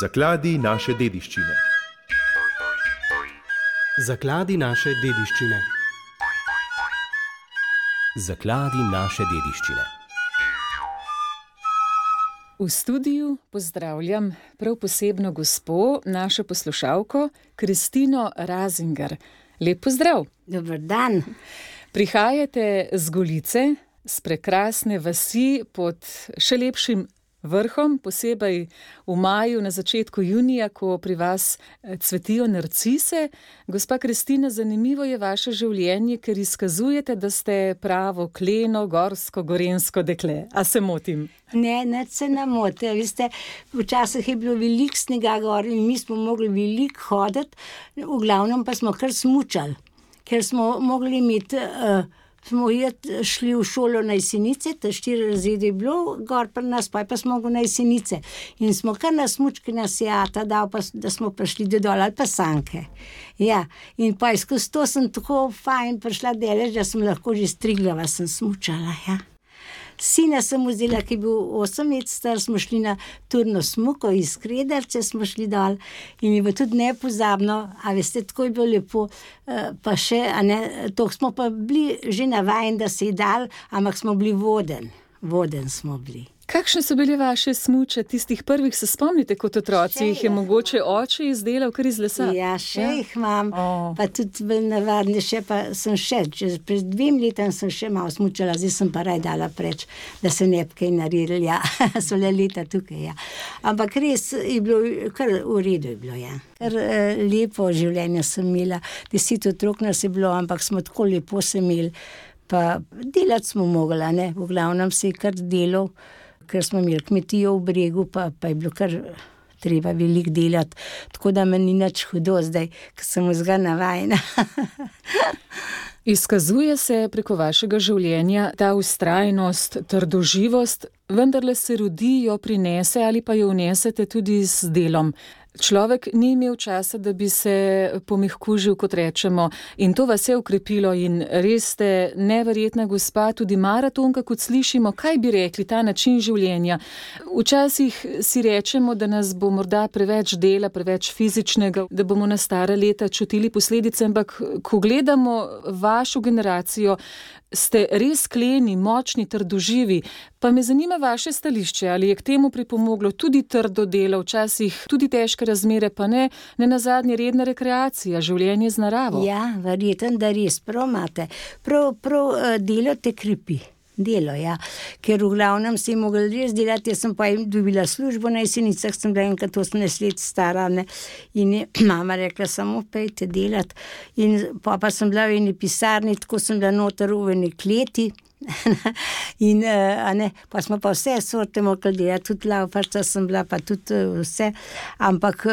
Zakladi naše dediščine. Zakladi naše dediščine. Zakladi naše dediščine. V studiu pozdravljam prav posebno gospo, našo poslušalko Kristino Razinger. Lep pozdrav. Dober dan. Prihajate z Golice, z prekrasne vasi pod še lepšim vrhom, posebej v maju, na začetku junija, ko pri vas cvetijo narcise. Gospa Kristina, zanimivo je vaše življenje, ker izkazujete, da ste pravo kleno, gorsko, gorensko dekle. A se motim? Ne, nič se ne mote. Veste, včasih je bilo veliko snega gor in mi smo mogli veliko hoditi, v glavnem pa smo kar smučali, ker smo mogli imeti... Smo šli v šolo na Jesenice, 4 razrede je bilo, gor pri nas, pa smo mogli na Jesenice. In smo kar na smučki na Seata dal, pa, da smo prišli do dol, ali pa sanke. Ja, in pa skozi to sem tako fajn prišla delež, da sem lahko že Striglava sem smučala, ja. Sina sem vzela, ki je bil 8 let star, smo šli na turno smuko iz Krederce, smo šli dol in je bilo tudi nepozabno, a veste, tako je bilo lepo, pa še, a ne, to smo pa bili že navajeni, da se je dal, ampak smo bili voden smo bili. Kakšne so bile vaše smuče, tistih prvih, se spomnite kot otroci, jih je mogoče oče izdelal kar iz lesa? Ja, še jih imam, pa tudi navadne še, pa sem še, pred 2 letom sem še malo smučala, zdaj sem pa raj dala preč, da se ne bi kaj naredili, ja, so le leta tukaj, ja. Ampak res je bilo, kar v redu je bilo, ja. Kar lepo življenje sem imela, 10 otrok nas je bilo, ampak smo tako lepo se imeli, pa delati smo mogli, ne, v glavnem se je kar delal, ker smo imeli kmetijo v Bregu, pa je bilo kar treba veliko delati, tako da me ni nič hudo zdaj, ker sem vzga navajena. Izkazuje se preko vašega življenja ta vztrajnost, trdoživost, vendarle se rodi, jo prinese ali pa jo vnesete tudi z delom. Človek ni imel časa, da bi se pomehkužil, kot rečemo, in to vas je ukrepilo in res ste neverjetna gospa, tudi maratonka, kot slišimo. Kaj bi rekli, ta način življenja? Včasih si rečemo, da nas bo morda preveč dela, preveč fizičnega, da bomo na stara leta čutili posledice, ampak ko gledamo vašo generacijo, ste res kleni, močni, trdoživi. Pa me zanima vaše stališče, ali je k temu pripomoglo tudi trdo delo, včasih tudi težke razmere, pa ne nazadnje redna rekreacija, življenje z naravo. Ja, verjetno, da res, prav imate. Prav delo te krepi. Delo, ja, ker v glavnem se je mogel res delati, jaz sem pa dobila službo na Jesenicah, sem bila enkrat 18 let stara, ne, in je mama rekla, samo pejte delati, in pa sem bila v eni pisarni, tako sem bila noter v eni kleti, in pa smo pa vse sorte mogli delati, tudi laufarca sem bila, pa tudi vse, ampak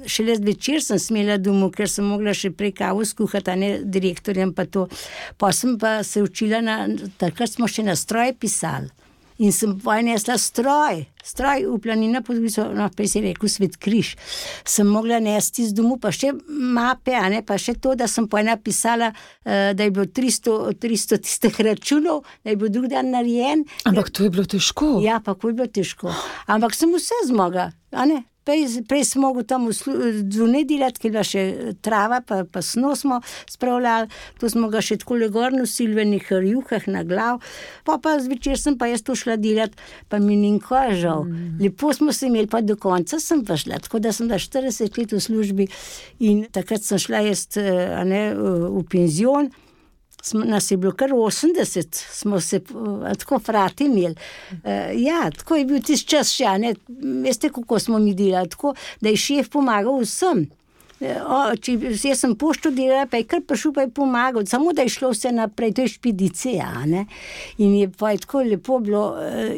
šele zvečer sem smela domov, ker sem mogla še prej kavo skuhati, direktorjem pa to, pa sem pa se učila, takrat smo še na stroj pisali. In sem nesla stroj v planina, pa se je rekel Svet križ. Sem mogla nesti z domu, pa še mape, pa še to, da sem napisala, da je bilo 300 tistih računov, da je bil drug dan narejen. Ampak to je bilo težko. Ja, pa ko je bilo težko. Ampak sem vse zmogla, Prej sem mogel tam zunaj delati, ker je bila še trava, pa sno smo spravljali, to smo ga še tako gor nosili v enih rjuhah na glav, pa zvečer sem pa jaz to šla delati, pa mi ni nikoli žal. Lepo smo se imeli, pa do konca sem pa šla, tako da sem bila 40 let v službi in takrat sem šla jaz v penzion. Nas je bilo kar 80, smo se tako frati imeli. Ja, tako je bil tisti čas še, veste, kako smo mi delali, tako, da je šef pomagal vsem. Jaz sem pošto delala, pa je kar prišel, pa je pomagal, samo da je šlo vse naprej, to je špedicija, in je pa je tako lepo bilo,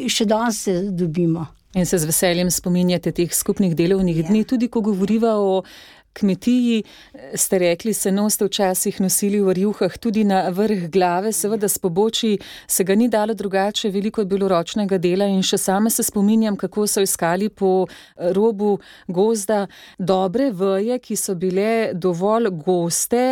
še danes se dobimo. In se z veseljem spominjate teh skupnih delovnih dni, tudi ko govoriva o kmetiji. Ste rekli, seno ste včasih nosili v rjuhah tudi na vrh glave, seveda s pobočji se ga ni dalo drugače, veliko je bilo ročnega dela in še sama se spominjam, kako so iskali po robu gozda dobre veje, ki so bile dovolj goste,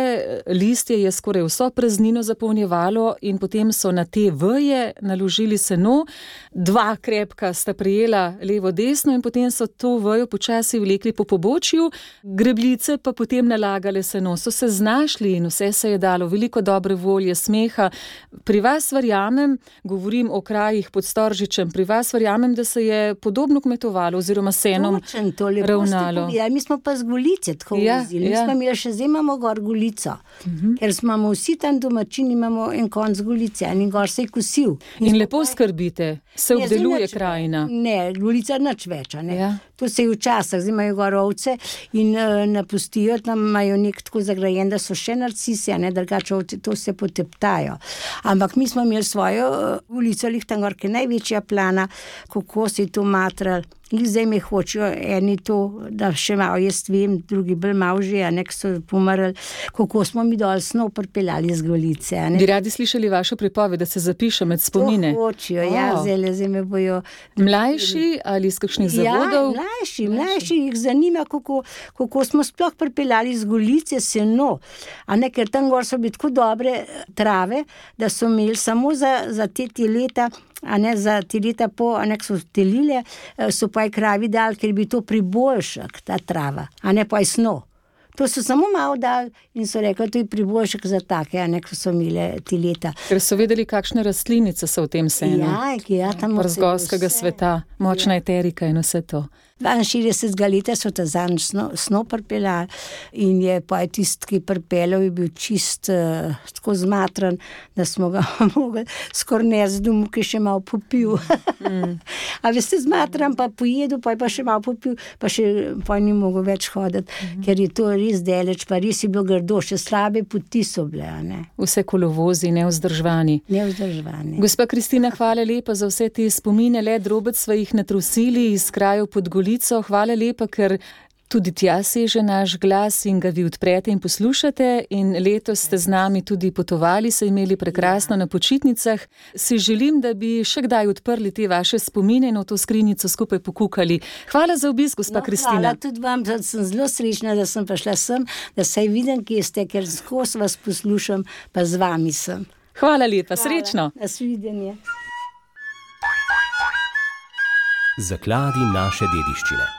listje je skoraj vso praznino zapolnjevalo in potem so na te veje naložili seno, dva krepka sta prijela levo desno in potem so to vejo počasi vlekli po pobočju, grebljice pa potem nalagale seno, so se znašli in vse se je dalo, veliko dobre volje, smeha. Pri vas verjamem, govorim o krajih pod Storžičem, pri vas verjamem, da se je podobno kmetovalo oziroma senom ravnalo. Ja, mi smo pa z Golice tako vozili, mi smo imeli še zdaj imamo gor Golico, ker smo vsi tam domačini, imamo en konc Golice in gor se je kosil. In lepo skrbite, se obdeluje krajina. Ne, Golica nič več, ne. Ja. To se je včasih, zdaj imajo gor ovce in napustijo, tam imajo nek tako zagrajen, da so še narcisi, a ne, drugače ovce, to se poteptajo. Ampak mi smo imeli svojo ulico, tam gor, ki je največja plana, kako se je to matral. Zdaj me hočejo eni to, da še malo jaz vem, drugi bolj malo že, a nek so pomrli, kako smo mi dol snov pripeljali z Golice. Bi radi slišali vašo pripoved, da se zapiše med spomine? To hočejo, zdaj me bojo. Mlajši ali iz kakšnih zavodov? Ja, mlajši jih zanima, kako smo sploh pripeljali z Golice seno, a ne, ker tam gor so bili tako dobre trave, da so imeli samo za te leta, a ne za te leta po, a ne so telile, so pa je kravi dal, ker bi to priboljšak, ta trava, a ne pa je sno. To so samo malo dal in so rekli, to je priboljšak za take, a ne, ko so imele te leta. Ker so vedeli, kakšne rastlinice so v tem senu. Ja, tam Przgorskega sveta, močna eterika in vse to. 62 leta so ta zanj sno pripeljali in je pa tisti, ki pripeljal, je bil čist tako zmatran, da smo ga mogli skoraj nesti domov, ki je še malo popil. A veste, zmatran pa pojedel, pa je pa še malo popil, pa še pa ni mogel več hoditi, ker je to res deleč, pa res je bilo grdo, še slabe poti so bile, a ne. Vse kolovozi, nevzdržvani. Gospa Kristina, hvala lepa za vse te spomine, le drobec sva jih natrusili iz krajev pod Golico. Hvala lepa, ker tudi tja seže naš glas in ga vi odprete in poslušate in letos ste z nami tudi potovali, se imeli prekrasno na počitnicah. Si želim, da bi še kdaj odprli te vaše spomine in v to skrinjico skupaj pokukali. Hvala za obisk, gospa Kristina. Hvala tudi vam, da sem zelo srečna, da sem prišla sem, da se vidim, kje ste, ker skozi vas poslušam, pa z vami sem. Hvala lepa, srečno. Nasvidenje. Zakladi naše dediščine.